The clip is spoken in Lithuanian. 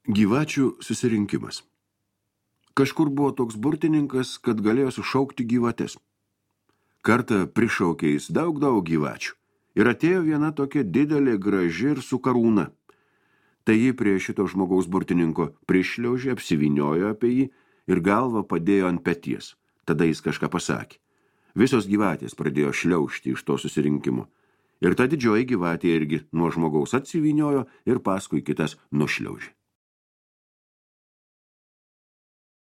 Gyvačių susirinkimas. Kažkur buvo toks burtininkas, kad galėjo sušaukti gyvates. Kartą prišaukė jis daug gyvačių. Ir atėjo viena tokia didelė, graži ir su karūna. Tai ji prie šito žmogaus burtininko prišliaužė, apsiviniojo apie jį ir galvą padėjo ant peties. Tada jis kažką pasakė. Visos gyvatės pradėjo šliaužti iš to susirinkimo. Ir ta didžioji gyvatė irgi nuo žmogaus atsiviniojo ir paskui kitas nušliaužė.